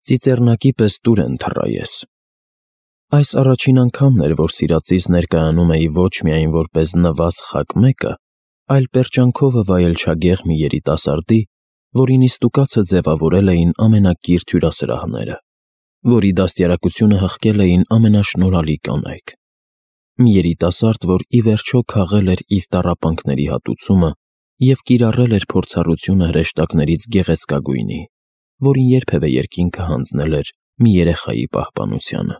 Ծիծեռնակի պես տուր են թռա ես։ Այս առաջին անգամն էր, որ սիրածիս ներկայանում էի ոչ միայն որպես նվազ խակ մեկը, այլ պերճանքովը վայելչագեղ մի երիտասարդի, որի նիստուկացը ձևավորել էին ամենակիրթ հյուրասրահները, որի դաստիարակությունը հղկել էին ամենաշնորհալի կանայք։ Մի երիտասարդ, որ ի վերջո քաղել էր իր տառապանքների հատուցումը և կիրառել էր փորձառությունը հրեշտակներից գեղեցկագույնի, որին երբևէ երկինքը հանձնել էր մի երեխայի պահպանությանը։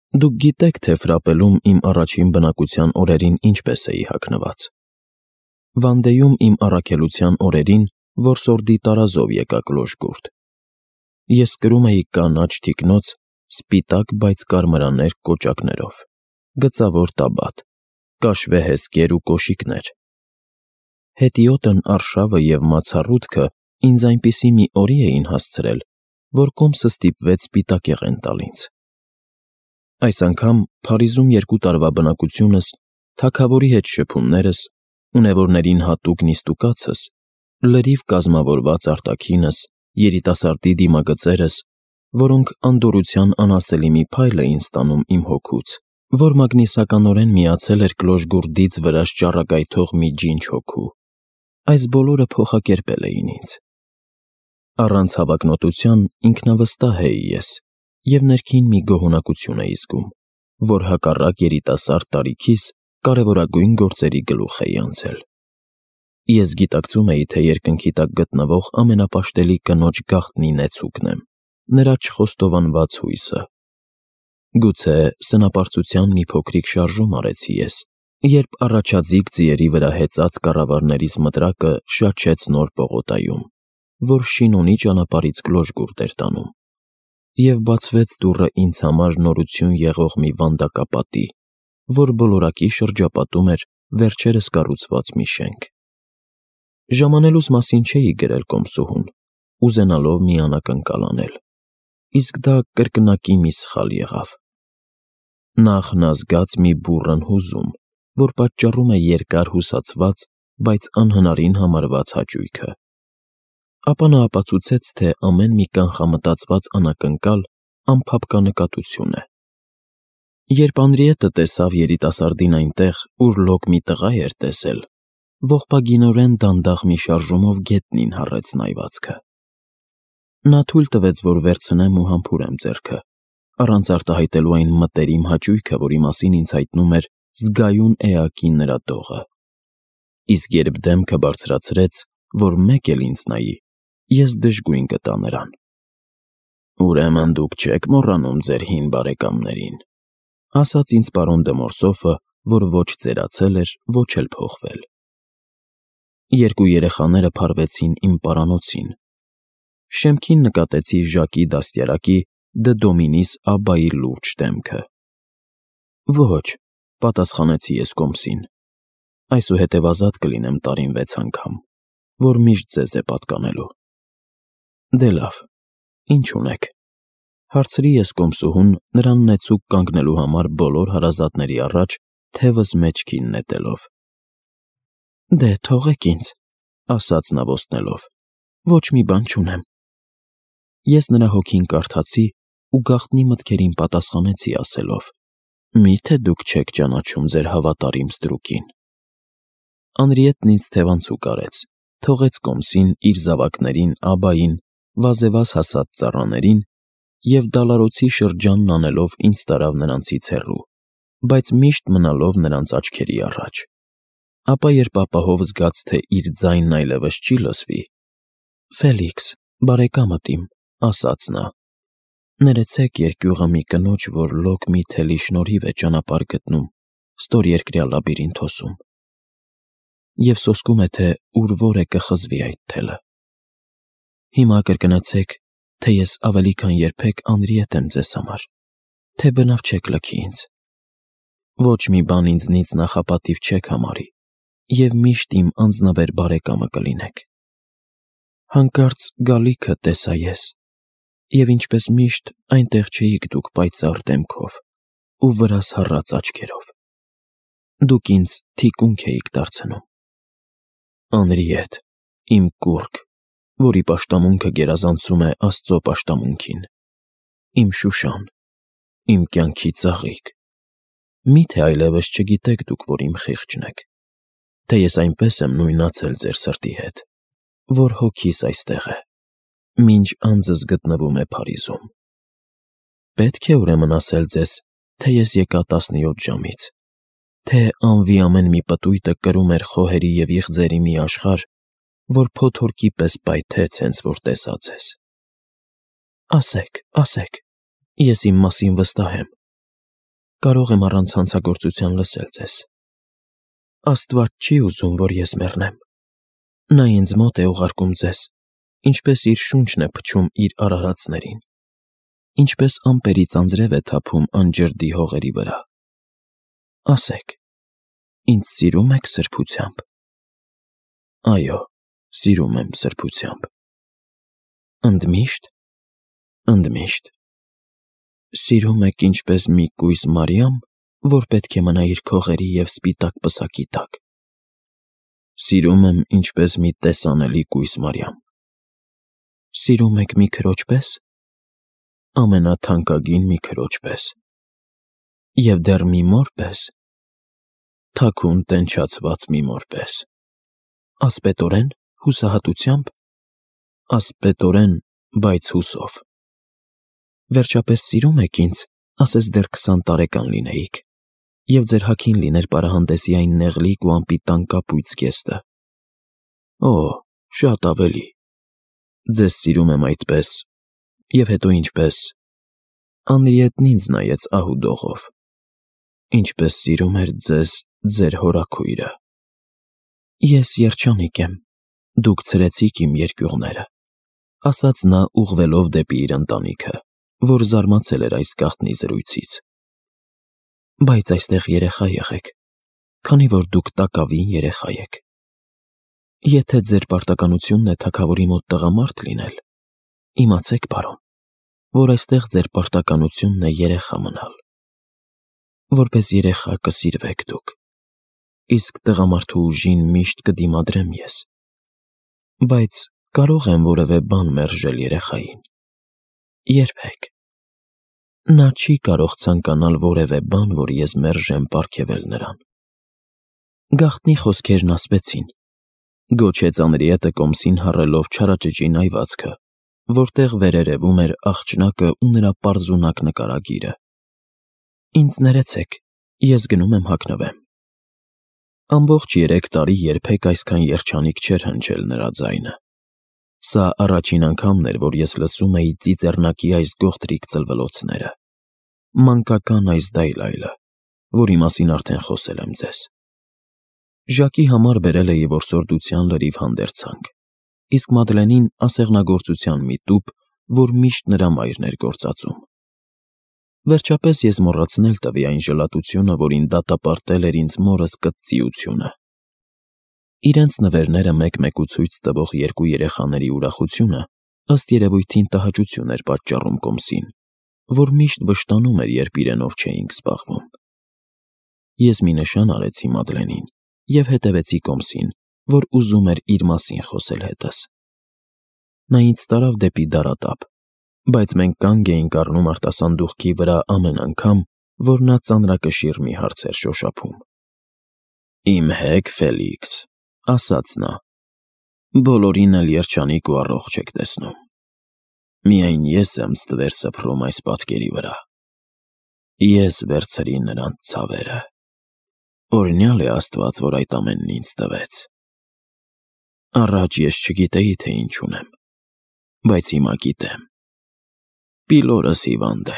Դուք գիտեք, թե Ֆրապելում իմ առաջին բնակության օրերին ինչպես էի հագնված։ Վանդեում իմ առաքելության օրերին որսորդի տարազով եկա կլոշգուրդ։ Ես կրում էի կանաչ թիկնոց սպիտակ, բայց կարմրաներ կոճակներով, գծավոր տաբատ, կաշվե հեսկեր ու կոշիկներ։ Հետիոտն արշավը և մացառուտքը ինձ այնպիսի մի օրի էին հասցրել, որ կոմսը ստիպվեց սպիտակեղեն տալ ինձ։ Այս անգամ Փարիզում 2 տարվա բնակությունս, թագավորի հետ շփումներս, ունևորներին հատուկ նիստուկացս, լրիվ կազմավորված արտաքինս, երիտասարդի դիմագծերս, որոնք անդորրության անասելի մի փայլ էին ստանում իմ հոգուց, որ մագնիսականորեն միացել էր կլոշգուրդից վրաշ ճառագայթող մի ջինջ հոգու, այս բոլորը փոխակերպել էին ինձ։ Առանց հավակնոտության ինքնավստահ էի ես և ներքին մի գոհունակություն էի զգում, որ հակառակ երիտասարդ տարիքիս կարևորագույն գործերի գլուխ էի անցել։ Ես գիտակցում էի, թե երկնքի տակ գտնվող ամենապաշտելի կնոջ գաղտնի նեցուկն եմ, նրա չխոստովանված հույսը։ Գուցե սնապարծության մի փոքրիկ շարժում արեցի ես, երբ առաջաձիգ ձիերի վրա հեծած կառավարներից մտրակը շաչեց նոր պողոտայում, որ Շինոնի ճանապարհից կլոշգուրդ էր տանում, և բացվեց դուռը ինձ համար նորություն եղող մի վանդակապատի, որ բոլորակի շրջապատում էր վերջերս կառուցված մի շենք։ Ժամանելուս մասին չէի գրել կոմսուհուն, ուզենալով մի անակնկալ անել, իսկ դա կրկնակի մի սխալ եղավ։ Նախ նա զգաց մի բուռն հուզում, որ պատճառում է երկար հուսացված, բայց անհնարին համարված հաճույքը։ Ապա նա ապացուցեց, թե ամեն մի կանխամտածված անակնկալ անփափկա է։ Երբ Անրիետը տեսավ երիտասարդին այնտեղ, ուր լոկ մի տղա էր տեսել, ողբագինորեն դանդաղ մի շարժումով գետնին հառեց նայվածքը։ Նա թույլ տվեց, որ վերցնեմ ու համբուրեմ ձեռքը, առանց արտահայտելու այն մտերիմ հաճույքը, որի մասին ինձ հայտնում էր զգայուն էակի նրա դողը։ Իսկ երբ դեմքը բարձրացրեց, որ մեկ էլ ինձ նայի, ես դժգույն գտա նրան։ «Ուրեմն դուք չեք մոռանում ձեր հին բարեկամներին», ասաց ինձ պարոն դը Մորսոֆը, որ ոչ ծերացել էր, ոչ էլ փոխվել։ Երկու երեխաները փարվեցին իմ պարանոցին։ Շեմքին նկատեցի Ժակի դաստիարակի դը Դոմինիս Աբբայի լուրջ դեմքը։ «Ոչ», պատասխանեցի ես կոմսին, «այսուհետև ազատ կլինեմ տարին 6 անգամ, որ միշտ ձեզ է պատկանելու»։ «Դե լավ, ինչ ունեք», հարցրի ես կոմսուհուն, նրան նեցուկ կանգնելու համար բոլոր հարազատների առաջ թևս մեջքին նետելով։ «Դե, թողեք ինձ», ասաց նա ոստնելով, «ոչ մի բան չունեմ»։ Ես նրա հոգին կարդացի ու գաղտնի մտքերին պատասխանեցի ասելով. «Մի՞թե դուք չեք ճանաչում ձեր հավատարիմ ստրուկին»։ Անրիետն ինձ թևանցուկ արեց, թողեց կոմսին, իր զավակներին, Աբբային, վազևազ հասած ծառաներին և դալարոցի շրջանն անելով ինձ տարավ նրանցից հեռու, բայց միշտ մնալով նրանց աչքերի առաջ։ Ապա երբ ապահով զգաց, թե իր ձայնն այլևս չի լսվի. «Ֆելիքս, բարեկամդ իմ», ասաց նա, «ներեցեք երկյուղը մի կնոջ, որ լոկ մի թելի շնորհիվ է ճանապարհ գտնում ստորերկրյա լաբիրինթոսում, և սոսկում է, թե ուր որ է կխզվի այդ թելը։ Հիմա կրկնեցեք, թե ես ավելի քան երբեք Անրիետ եմ ձեզ համար, թե բնավ չեք լքի ինձ։ Ոչ մի բան ինձնից նախապատիվ չեք համարի և միշտ իմ անձնվեր բարեկամը կլինեք։ Հանկարծ գալիքը տեսա ես, և ինչպես միշտ այնտեղ չէիք դուք պայծառ դեմքով ու վրաս հառած աչքերով։ Դուք ինձ թիկունք էիք դարձնում։ Անրիետ, իմ կուռք, որի պաշտամունքը գերազանցում է Աստծո պաշտամունքին։ Իմ Շուշան, իմ կյանքի ծաղիկ, մի՞թե այլևս չգիտեք դուք, որ իմ խիղճն եք, թե ես այնպես եմ նույնացել ձեր սրտի հետ, որ հոգիս այստեղ է, մինչ անձս գտնվում է Փարիզում։ Պետք է ուրեմն ասել ձեզ, թե ես եկա 17 ժամից, թե անվի ամեն մի պտույտը կրում էր խոհերի և իղձերի մի աշխարհ, որ փոթորկի պես պայթեց, հենց որ տեսա ձեզ։ Ասեք, ես իմ մասին վստահ եմ, կարող եմ առանց հանցագործության լսել ձեզ։ Աստված չի ուզում, որ ես մեռնեմ։ Նա ինձ մոտ է ուղարկում ձեզ, ինչպես իր շունչն է փչում իր արարածներին, ինչպես ամպերից անձրև է թափում անջրդի հողերի վրա։ Ասեք, ինձ սիրում եք սրբությամբ։ Այո, սիրում եմ սրբությամբ։ Ընդմիշտ։ Սիրում եք ինչպես մի կույս Մարիամ, որ պետք է մնա իր քողերի և սպիտակ պսակի տակ։ Սիրում եմ ինչպես մի տեսանելի կույս Մարիամ։ Սիրում եք մի քրոջ պես, ամենաթանկագին մի քրոջ պես, և դեռ մի մոր պես, թաքուն տենչացված մի մոր պես։ Ասպետորեն, հուսահատությամբ, ասպետորեն, բայց հուսով։ Վերջապես սիրում եք ինձ, ասես դեռ 20 տարեկան լինեիք, և ձեր հագին լիներ պարահանդեսի այն նեղլիկ ու անպիտան կապույտ զգեստը։ Օ, շատ ավելի։ Ձեզ սիրում եմ այդպես, և հետո ինչպես… Անրիետն ինձ նայեց ահուդողով, ինչպես սիրում էր ձեզ ձեր հորաքույրը։ Ես երջանիկ եմ, դուք ցրեցիք իմ երկյուղները, ասաց նա ուղղվելով դեպի իր ընտանիքը, որ զարմացել էր այս գաղտնի զրույցից։ Բայց այստեղ երեխա եղեք, քանի որ դուք տակավին երեխա եք։ Եթե ձեր պարտականությունն է թագավորի մոտ տղամարդ լինել, իմացեք, պարոն, որ այստեղ ձեր պարտականությունն է երեխա մնալ։ Որպես երեխա կսիրվեք դուք, իսկ տղամարդու ուժին միշտ կդիմադրեմ ես։ Բայց կարող եմ որևէ բան մերժել երեխային։ Երբեք։ Նա չի կարող ցանկանալ որևէ բան, որ ես մերժեմ պարգևել նրան։ Գաղտնի խոսքերն ասվեցին, գոչեց Անրիետը կոմսին հառելով չարաճճին այվածքը, որտեղ վերերևում էր աղջնակը ու նրա պարզունակ նկարագիրը։ Ինձ ներեցեք, ես գնում եմ հագնվեմ։ Ամբողջ 3 տարի երբեք այսքան երջանիկ չէր հնչել նրա ձայնը։ Սա առաջին անգամն էր, որ ես լսում էի ծիծեռնակի այս գողտրիկ ծլվլոցները, մանկական այս դայլայլը, որի մասին արդեն խոսել եմ ձեզ։ Ժակի համար բերել էի որսորդության լրիվ հանդերձանք, իսկ Մադլենին ասեղնագործության մի տուփ, որ միշտ նրա մայրն էր գործածում։ Վերջապես ես մոռացնել տվի այն ժլատությունը, որին դատապարտել էր ինձ մորս կտծիությունը։ Իրենց նվերները մեկ-մեկու ցույց տվող 2 երեխաների ուրախությունը ըստ երևույթին տհաճություն էր պատճառում կոմսին, որ միշտ վշտանում էր, երբ իրենով չէինք զբաղվում։ Ես մի նշան արեցի Մադլենին և հետևեցի կոմսին, որ ուզում էր իր մասին խոսել հետս։ Նա ինձ տարավ դեպի դարատափ, բայց մենք կանգ էինք առնում արտասանդուղքի վրա ամեն անգամ, որ նա ծանրակշիռ մի հարց էր շոշափում։ Իմ հեգ Ֆելիքս, ասաց նա, բոլորին էլ երջանիկ ու առողջ եք տեսնում։ Միայն ես եմ ստվեր սփռում այս պատկերի վրա։ Ես վերցրի նրանց ցավերը։ Օրհնյալ է Աստված, որ այդ ամենն ինձ տվեց։ Առաջ ես չգիտեի, թե ինչ ունեմ, բայց հիմա գիտեմ։ Պիլորս հիվանդ է։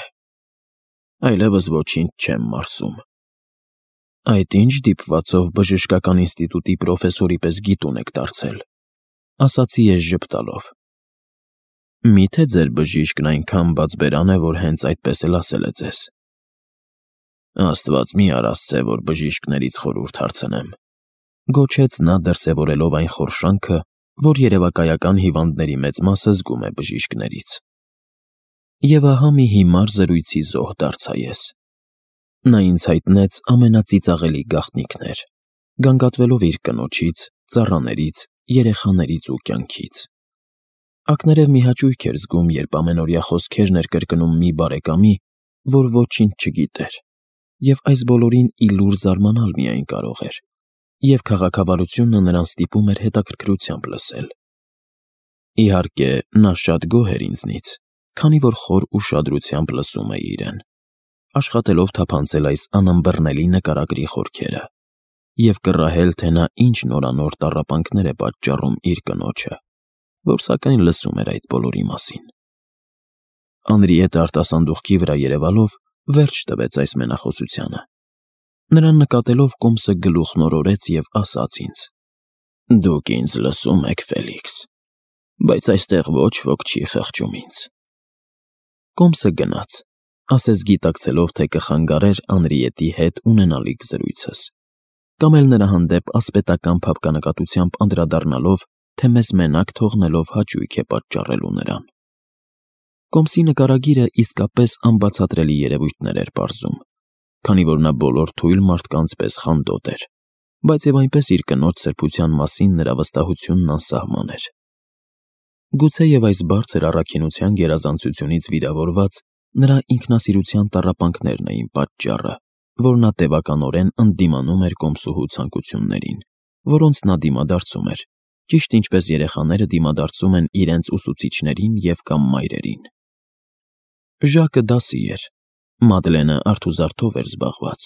Այլևս ոչինչ չեմ մարսում։ Այդ ինչ դիպվածով բժշկական ինստիտուտի պրոֆեսորի պես գիտուն եք դարձել, ասացի ես ժպտալով։ Միթե ձեր բժիշկն այնքան բացբերան է, որ հենց այդպես էլ ասել է ձեզ։ Աստված մի արասցե, որ բժիշկներից խորհուրդ հարցնեմ, գոչեց նա դրսևորելով այն խորշանքը, որ երևակայական հիվանդների մեծ մասը զգում է բժիշկներից։ Եվ ահա մի հիմար զրույցի զոհ դարձա ես։ Նա ինձ հայտնեց ամենածիծաղելի գաղտնիքներ, գանգատվելով իր կնոջից, ծառաներից, երեխաներից ու կյանքից։ Ակներև մի հաճույք էր զգում, երբ ամենօրյա խոսքերն էր կրկնում մի բարեկամի, որ ոչինչ չգիտեր, և այս բոլորին ի լուր զարմանալ միայն կարող էր, և քաղաքավարությունը նրան ստիպում էր հետաքրքրությամբ լսել։ Իհարկե, նա շատ գոհ էր ինձնից, քանի որ խոր ուշադրությամբ լսում էի իրեն, աշխատելով թափանցել այս անըմբռնելի նկարագրի խորքերը և կռահել, թե նա ինչ նորանոր տառապանքներ է պատճառում իր կնոջը, որ սակայն լսում էր այդ բոլորի մասին։ Անրիետը արտասանդուղքի վրա երևալով վերջ տվեց այս մենախոսությանը։ Նրան նկատելով կոմսը գլուխն օրորեց և ասաց ինձ. «Դուք ինձ լսում եք, Ֆելիքս, բայց այստեղ ոչ ոք չի խղճում ինձ»։ Կոմսը գնաց, ասես գիտակցելով, թե կխանգարեր Անրիետի հետ ունենալիք զրույցս, կամ էլ նրա հանդեպ ասպետական փափկանակատությամբ անդրադառնալով, թե մեզ մենակ թողնելով հաճույք է պատճառելու նրան։ Կոմսի նկարագիրը իսկապես անբացատրելի երևույթներ էր պարզում, քանի որ նա բոլոր թույլ մարդկանց պես խանդոտ էր, բայց և այնպես իր կնոջ սրբության մասին նրա վստահությունն անսահման էր։ Գուցեև այս բարձր առաքինության գերազանցությունից վիրավորված նրա ինքնասիրության տառապանքներն էին պատճառը, որ նա տևականորեն ընդդիմանում էր կոմսուհու ցանկություններին, որոնց նա դիմադարձում էր, ճիշտ ինչպես երեխաները դիմադարձում են իրենց ուսուցիչներին և կամ մայրերին։ Ժակը դասի էր, Մադլենը արթուզարդով էր զբաղված,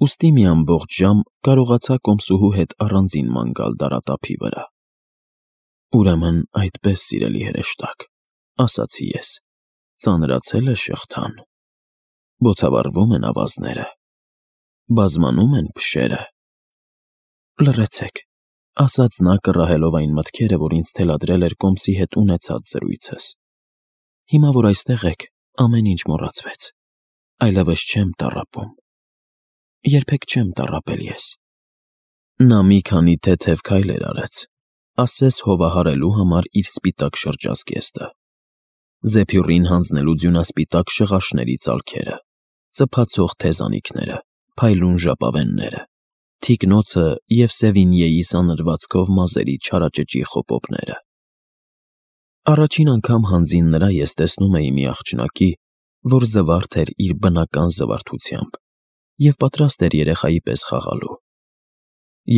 ուստի մի ամբողջ ժամ կարողացա կոմսուհու հետ առանձին ման գալ դարատափի վրա։ «Ուրեմն այդպես, սիրելի հրեշտակ», ասացի ես, «ծանրացել է շղթան, բոցավառվում են ավազները, բազմանում են փշերը»։ «Լռեցեք», ասաց նա, կռահելով այն մտքերը, որ ինձ թելադրել էր կոմսի հետ ունեցած զրույցս։ «Հիմա, որ այստեղ եք, ամեն ինչ մոռացվեց, այլևս չեմ տառապում, երբեք չեմ տառապել ես»։ Նա մի քանի թեթև քայլեր արեց, ասես հովահարելու համար իր սպիտակ շրջազգեստը, զեփյուռին հանձնելու ձյունասպիտակ շղաշների ծալքերը, ծփացող թեզանիքները, փայլուն ժապավենները, թիկնոցը և Սևինիեի սանրվածքով մազերի չարաճճի խոպոպները։ Առաջին անգամ հանձին նրա ես տեսնում էի մի աղջնակի, որ զվարթ էր իր բնական զվարթությամբ և պատրաստ էր երեխայի պես խաղալու։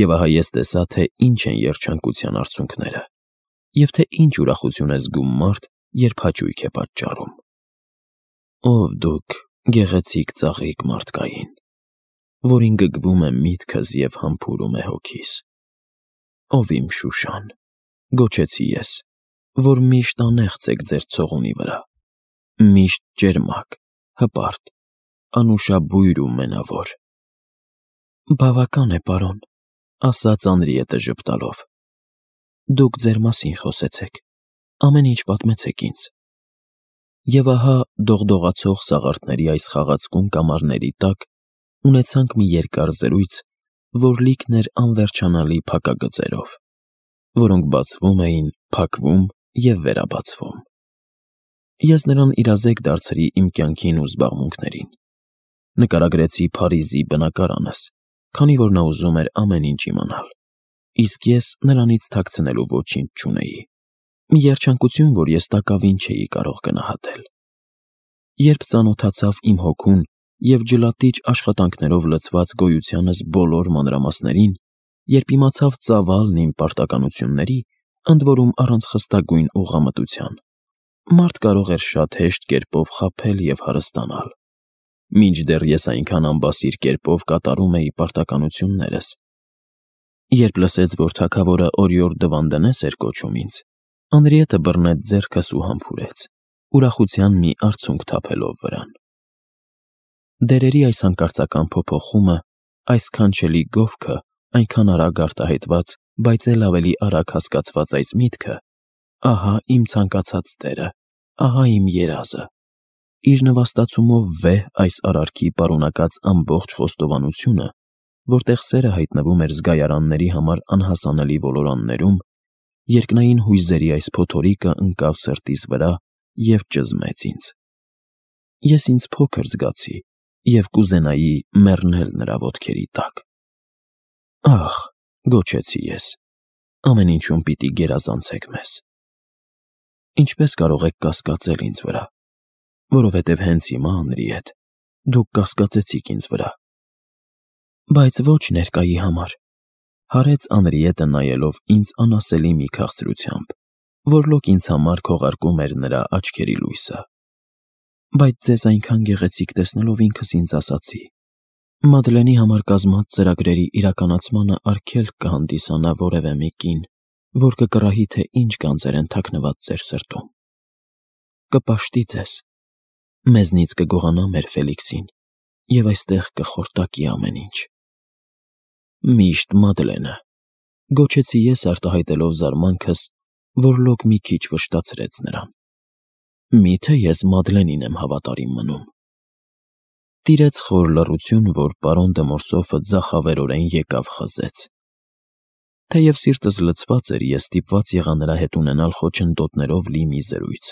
Եվ ահա ես տեսա, թե ինչ են երջանկության արցունքները, և թե ինչ ուրախություն է զգում մարդ, երբ հաճույք է պատճառում։ Ով դուք, գեղեցիկ ծաղիկ մարդկային, որին գգվում է միտքս և համբուրում է հոգիս։ Ով իմ Շուշան, գոչեցի ես, որ միշտ անեղծ եք ձեր ցողունի վրա, միշտ ճերմակ, հպարտ, անուշաբույր ու մենավոր։ Բավական է, պարոն, ասաց Անրիետը ժպտալով։ Դուք ձեր մասին խոսեցեք, ամեն ինչ պատմեցեք ինձ։ Եվ ահա դողդողացող սաղարթների այս խաղացկուն կամարների տակ ունեցանք մի երկար զրույց, որ լիքն էր անվերջանալի փակագծերով, որոնք բացվում էին, փակվում և վերաբացվում։ Ես նրան իրազեկ դարձրի իմ կյանքին ու զբաղմունքներին։ Նկարագրեցի Փարիզի բնակարանս, քանի որ նա ուզում էր ամեն ինչ իմանալ, իսկ ես նրանից թաքցնելու ոչինչ չունեի։ Մի երջանկություն, որ ես տակավին չէի կարող գնահատել։ Երբ ծանոթացավ իմ հոգուն և ջլատիչ աշխատանքներով լցված գոյությանս բոլոր մանրամասներին, երբ իմացավ ծավալն իմ պարտականությունների, ընդ որում առանց խստագույն ուղղամտության, մարդ կարող էր շատ հեշտ կերպով խաբել և հարստանալ։ Մինչդեռ ես այնքան անբասիր կերպով կատարում էի պարտականություններս։ Երբ լսեց, որ թագավորը օրիորդ Դվանդենես էր կոչում ինձ, Անրիետը բռնեց ձեռքս ու համբուրեց, ուրախության մի արցունք թափելով վրան։ Դերերի այս հանկարծական փոփոխումը, այս քանչելի գովքը, այնքան արագ արտահայտված, բայց էլ ավելի արագ հասկացված այս միտքը, ահա իմ ցանկացած տերը, ահա իմ երազը, իր նվաստացումով վեհ այս արարքի պարունակած ամբողջ խոստովանությունը, որտեղ սերը հայտնվում էր զգայարանների համար անհասանելի ոլորաններում, երկնային հույզերի այս փոթորիկը ընկավ սրտիս վրա և ճզմեց ինձ։ Ես ինձ փոքր զգացի և կուզենայի մեռնել նրա ոտքերի տակ։ Ախ, գոչեցի ես, ամեն ինչում պիտի գերազանցեք մեզ։ Ինչպես կարող եք կասկածել ինձ վրա, որովհետև հենց հիմա, Անրիետ, դուք կասկածեցիք ինձ վրա։ Բայց ոչ ներկայի համար, հարեց Անրիետը նայելով ինձ անասելի մի քաղցրությամբ, որլոք ինձ համար քողարկում էր նրա աչքերի լույսը։ Բայց ձեզ այնքան գեղեցիկ տեսնելով ինքս ինձ ասացի. Մադլենի համար կազմած ծրագրերի իրականացմանը արգելք կհանդիսանա որևէ մի կին, որ կկռահի, թե ինչ գանձեր են թաքնված ձեր սրտում։ Կպաշտի ձեզ, մեզնից կգողանա մեր Ֆելիքսին, և այստեղ կխորտակի ամեն ինչ։ Միշտ Մադլենը, գոչեցի ես արտահայտելով զարմանքս, որլոք մի քիչ վշտացրեց նրան։ Միթե ես Մադլենին եմ հավատարիմ մնում։ Տիրեց խոր լռություն, որ պարոն դը Մորսոֆը ձախավերորեն եկավ խզեց։ Թեև սիրտս լցված էր, ես ստիպված եղա նրա հետ ունենալ խոչընդոտներով լի մի զրույց։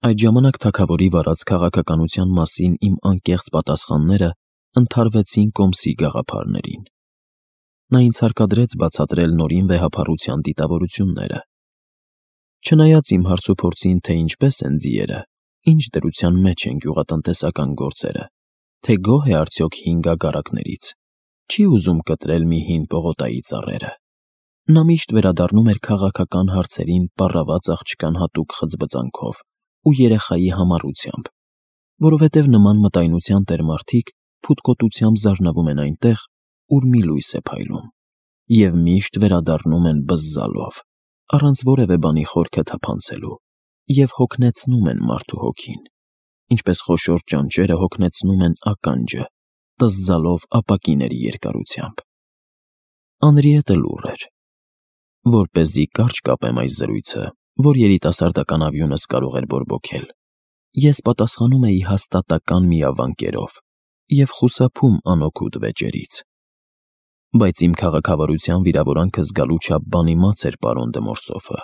Այդ ժամանակ թագավորի վարած քաղաքականության մասին իմ անկեղծ պատասխանները ընդհարվեցին կոմսի գաղափարներին։ Նա ինձ հարկադրեց բացատրել նորին վեհափառության դիտավորությունները։ Չնայած իմ հարցուփորձին, թե ինչպես են ձիերը, ինչ դրության մեջ են գյուղատնտեսական գործերը, թե գոհ է արդյոք հին գագարակներից, չի ուզում կտրել մի հին պողոտայի ծառերը։ Նա միշտ վերադառնում էր քաղաքական հարցերին պառաված աղջկան հատուկ խծբծանքով ու երեխայի համառությամբ, որովհետև նման մտայնության տերմարդիկ փութկոտությամբ զարնվում են այնտեղ, ուր մի լույս է փայլում, և միշտ վերադառնում են բզզալով, առանց որևէ բանի խորքը թափանցելու, և հոգնեցնում են մարդու հոգին, ինչպես խոշոր ճանճերը հոգնեցնում են ականջը, տզզալով ապակիների երկարությամբ։ Անրիետը լուռ էր։ Որպեսզի կարճ կապեմ այս զրույցը, որ երիտասարդական ավյունս կարող էր բորբոքել, ես պատասխանում էի հաստատական միավանկերով և խուսափում անօգուտ վեճերից։ Բայց իմ քաղաքավարության վիրավորանքը զգալու չափ բանիմաց էր պարոն դը Մորսոֆը։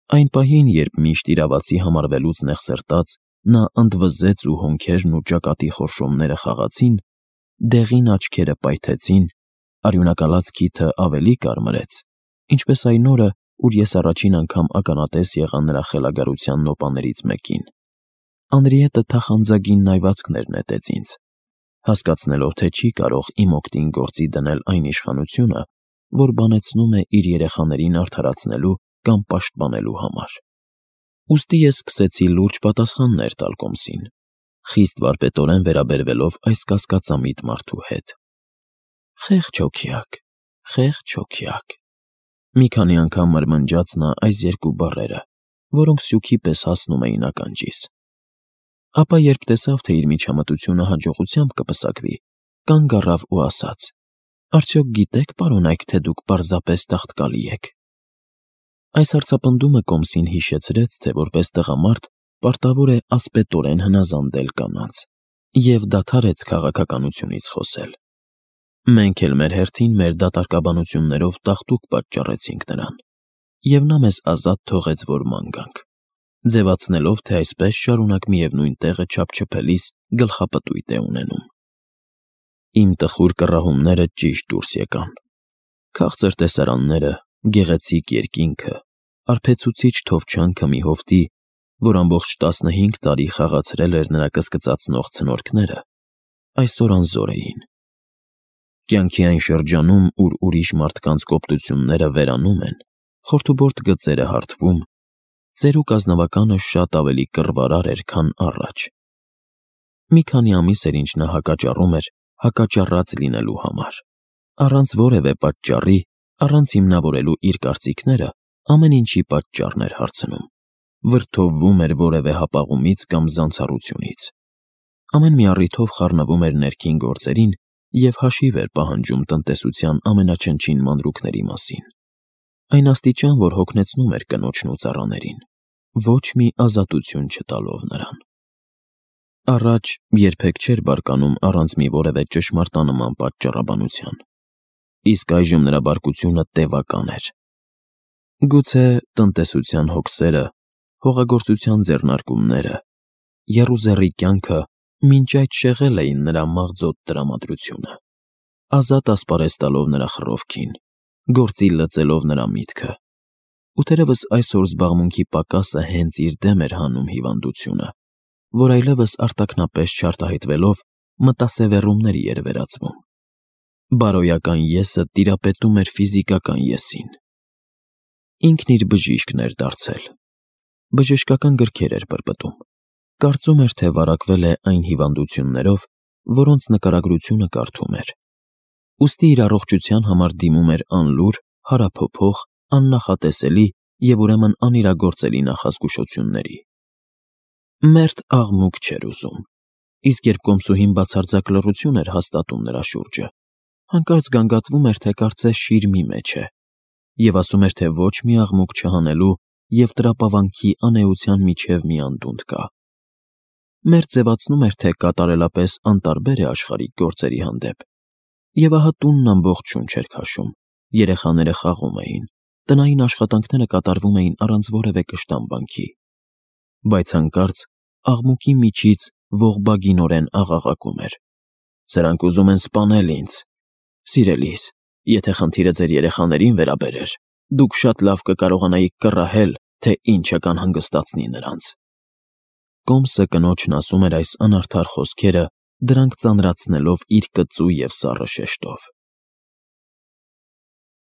Այն պահին, երբ միշտ իրավացի համարվելուց նեղսրտած նա ընդվզեց ու հոնքերն ու ճակատի խորշոմները խաղացին, դեղին աչքերը պայթեցին, արյունակալած քիթը ավելի կարմրեց, ինչպես այն օրը, ուր ես առաջին անգամ ականատես եղա նրա խելագարության նոպաներից մեկին։ Անրիետը թախանձագին նայվածքներ նետեց ինձ, հասկացնելով, թե չի կարող իմ օգտին գործի դնել այն իշխանությունը, որ բանեցնում է իր երեխաներին արդարացնելու կամ պաշտպանելու համար։ Ուստի ես սկսեցի լուրջ պատասխաններ տալ կոմսին, խիստ վարպետորեն վերաբերվելով այս կասկածամիտ մարդու հետ։ Խեղճ հոգյակ, խեղճ հոգյակ։ Մի քանի անգամ մրմնջաց նա այս երկու բառերը, որոնք սյուքի պես հասնում էին ականջիս։ Ապա երբ տեսավ, թե իր միջամտությունը հաջողությամբ կպսակվի, կանգ առավ ու ասաց. Արդյոք գիտեք, պարոն Այք, թե դուք պարզապես տաղտկալի եք։ Այս հարցապնդումը կոմսին հիշեցրեց, թե որպես տղամարդ պարտավոր է ասպետորեն հնազանդել կանանց, և դադարեց քաղաքականությունից խոսել։ Մենք էլ մեր հերթին մեր դատարկաբանություններով տաղտուկ պատճառեցինք նրան, և նա մեզ ազատ թողեց, որ ման գանք, ձևացնելով, թե այսպես շարունակ միևնույն տեղը չափչփելիս գլխապտույտ է ունենում։ Իմ տխուր կռահումները ճիշտ դուրս եկան։ Քաղցր տեսարանները, գեղեցիկ երկինքը, արբեցուցիչ թովչանքը մի հովտի, որ ամբողջ 15 տարի խաղացրել էր նրա կսկծացնող ցնորքները, այսօր անզոր էին։ Կյանքի այն շրջանում, ուր ուրիշ մարդկանց կոպտությունները վերանում են, խորթուբորտ գծերը հարթվում, ծերուկ ազնվականը շատ ավելի կռվարար էր, քան առաջ։ Մի քանի ամիս էր, ինչ նա հակաճառում էր հակաճառած լինելու համար, առանց որևէ պատճառի, առանց հիմնավորելու իր կարծիքները, ամեն ինչի պատճառն էր հարցնում, վրդովվում էր որևէ հապաղումից կամ զանցառությունից։ Ամեն մի առիթով խառնվում էր ներքին գործերին և հաշիվ էր պահանջում տնտեսության ամենաչնչին մանրուքների մասին։ Այն աստիճան, որ հոգնեցնում էր կնոջն ու ծառաներին, ոչ մի ազատություն չտալով նրան։ Առաջ երբեք չէր բարկանում առանց մի որևէ ճշմարտանման պատճառաբանության, իսկ այժմ նրա բարկությունը տևական էր։ Գուցե տնտեսության հոգսերը, հողագործության ձեռնարկումները, եռուզեռի կյանքը մինչ այդ շեղել էին նրա մաղձոտ տրամադրությունը, ազատ ասպարեզ տալով նրա խռովքին, գործի լծելով նրա միտքը։ ու թերևս այսօր զբաղմունքի պակասը հենց իր դեմ էր հանում հիվանդությունը, որ այլևս արտաքնապես չարտահայտվելով մտասևեռումների էր վերածվում։ Բարոյական եսը տիրապետում էր ֆիզիկական եսին։ Ինքն իր բժիշկն էր դարձել։ Բժշկական գրքեր էր պրպտում։ Կարծում էր, թե վարակվել է այն հիվանդություններով, որոնց նկարագրությունը կարդում էր։ Ուստի իր առողջության համար դիմում էր անլուր, հարափոփող, աննախատեսելի և ուրեմն անիրագործելի նախազգուշությունների։ Մերթ աղմուկ չէր ուզում, իսկ երբ կոմսուհին բացարձակ լռություն էր հաստատում նրա շուրջը, հանկարծ գանգատվում էր, թե կարծես շիրմի մեջ է, և ասում էր, թե ոչ մի աղմուկ չհանելու և տրապավանքի անէության միջև մի անդունդ կա։ Մերթ ձևացնում էր, թե կատարելապես անտարբեր է աշխարհիկ գործերի հանդեպ, և ահա տունն ամբողջ շունչ էր քաշում, երեխաները խաղում էին, տնային աշխատանքները կատարվում էին առանց որևէ կշտամբանքի։ Բայց հանկարծ աղմուկի միջից ողբագինորեն աղաղակում էր. «Սրանք ուզում են սպանել ինձ։ Սիրելիս, եթե խնդիրը ձեր երեխաներին վերաբերեր, դուք շատ լավ կկարողանայիք կռահել, թե ինչը կանհանգստացնի նրանց»։ Կոմսը կնոջն ասում էր այս անարդար խոսքերը, դրանք ծանրացնելով իր կծու և սառը շեշտով։